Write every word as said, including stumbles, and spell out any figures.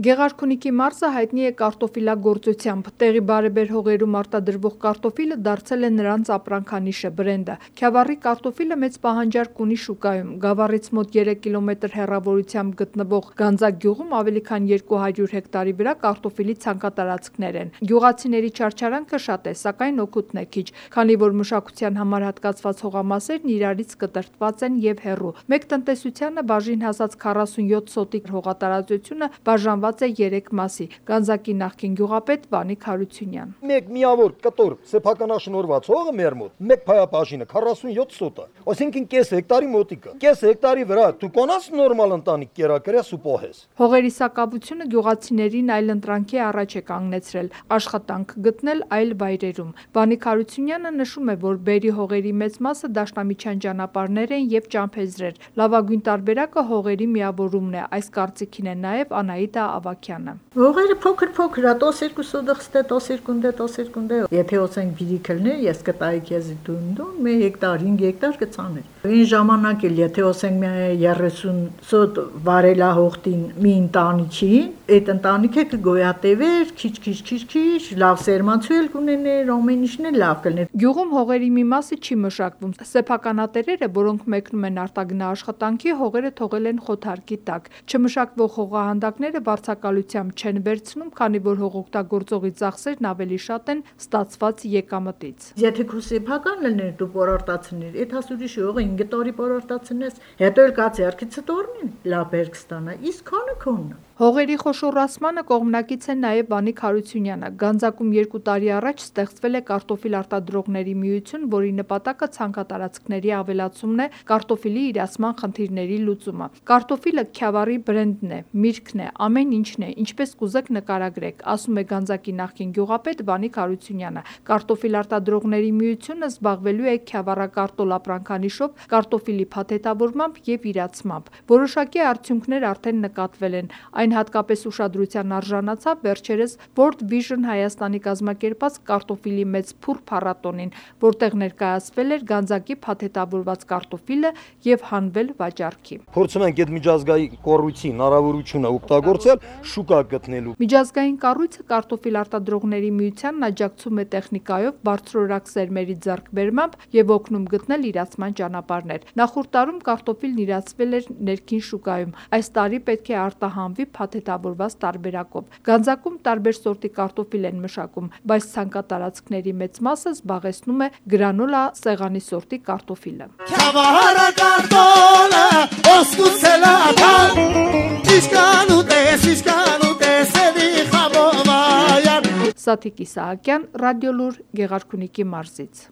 Գեղարքունիքի մարզը հայտնի է կարտոֆիլագործությամբ։ Տեղի բարեբեր հողերում արտադրվող կարտոֆիլը դարձել է նրանց ապրանքանիշը, բրենդը։ Քյավառի կարտոֆիլը մեծ պահանջարկ ունի շուկայում։ Գավառից մոտ երեք կիլոմետր հեռավորությամբ գտնվող Գանձակ գյուղում ավելի քան երկու հարյուր հեկտարի վրա կարտոֆիլի ցանկատարածքներ են։ Գյուղացիների չարչարանքը շատ է, սակայն օգուտն է քիչ, քանի որ մշակության համար հատկացված հողամասերն իրարից կտրտված են եւ հեռու։ Մեկ տնտեսությանը բաժին հասած քառասունյոթ սոտիկ հողատարածությունը բաժանված է երեք մասի։ Գանձակի նախկին գյուղապետ Վանիկ Հարությունյան։ Մեկ միավոր կտոր սեփականաշնորհված հողը մեր մոտ, մեկ փայապաշինը քառասունյոթ սոտ է, այսինքն կես հեկտարի մոտիկը։ Կես հեկտարի վրա դու կոնաս նորմալ ընտանիք կերակրես ու պոհես։ Հողերի սակավությունը գյուղացիներին այլ ընտրանքի առաջ է կանգնեցրել, աշխատանք գտնել այլ վայրերում։ Վանիկ Հարությունյանը նշում է, որ բերի հողերի մեծ մասը դաշնամիջյան ճանապարհներ են եւ ճամփեզրեր։ Լավագույն տարբերակը հողերի միավորումն է, այս կարծիքին է նաեւ Անահիտա Ավագյանը։ Հողերը փոքր-փոքր է, տոս երկու սոդղստե, տոս երկունդե, տոս երկունդե։ Եթե ասենք բիրիքլներ, ես կտայի քեզ դունդուն, մի հեկտար, հինգ հեկտար կցաներ։ Այն ժամանակ էլ եթե ասենք երեսուն սոտ վարելա հողտին մի ընտանիքին, այդ ընտանիքը կգոյատևեր, քիչ-քիչ-քիչ-քիչ, լավ սերմացուել կունեներ, ամեն ինչն էլ լավ կլներ։ Գյուղում հողերի մի մասը չի մշակվում։ Սեփականատերերը, որոնք մեկնում են արտագնա աշխատանքի, հողերը թողել են խոթարկի տակ։ Չմշակվող հողահանդակները վարձակալությամբ չեն վերցնում, քանի որ հողօգտագործողի ծախսերն ավելի շատ են ստացված եկամտից։ Եթե քո սեփական լիներ դու պորարտացներ, այդ հասուրիշ հողը ինգ տարի պորարտացնես, հետո էլ կա ձեռքից տորնին, լավ բերք ստանա, իսկ քանը քոնն։ Հողերի խոշորացմանը կողմնակից է նաև Վանիկ Հարությունյանը։ Գանձակում երկու տարի առաջ ստեղծվել է կարտոֆիլ արտադրողների միություն, որի նպատակը ցանքատարածքների ավելացումն է, կարտոֆիլի իրացման խնդիրների լուծումը։ Կարտոֆիլը Քյավառի բրենդն է, միրգն է, ամեն ինչն է, ինչպես կուզեք նկարագրեք, ասում է Գանձակի նախկին գյուղապետ Վանիկ Հարությունյանը։ Կարտոֆիլ արտադրողների միությունը զբաղվելու է Քյավառակարտոլ ապրանքանիշով, կարտոֆիլի փաթեթավորմամբ եւ իրացմամբ։ Որոշակի արդյունքներ արդեն նկատվել են։ Այն հատկապես ուշադրության արժանացավ վերջերս World Vision Հայաստանի կազմակերպած կարտոֆիլի մեծ փուռ փառատոնին, որտեղ ներկայացվել էր Գանձակի փաթեթավորված կարտոֆիլը եւ հանվել վաճառքի։ Փորձում ենք այդ միջազգային կառույցի հնարավորությունը օգտագործել շուկա գտնելու։ Միջազգային կառույցը կարտոֆիլ արտադրողների միությանն աջակցում է տեխնիկայով, բարձրորակ սերմերի ձեռքբերմամբ եւ օգնում գտնել իրացման ճանապարհներ։ Նախորդ տարում կարտոֆիլն իրացվել էր ներքին շուկայում։ Այս տարի պետք է արտահանվի փաթեթավորված տարբերակով։ Գանձակում տարբեր սորտի կարտոֆիլ են մշակում, բայց ցանկատարածքների մեծ մասը զբաղեցնում է գրանուլա սեղանի սորտի կարտոֆիլը։ Սաթիկ Իսահակյան, Ռադիոլուր, Գեղարքունիքի մարզից։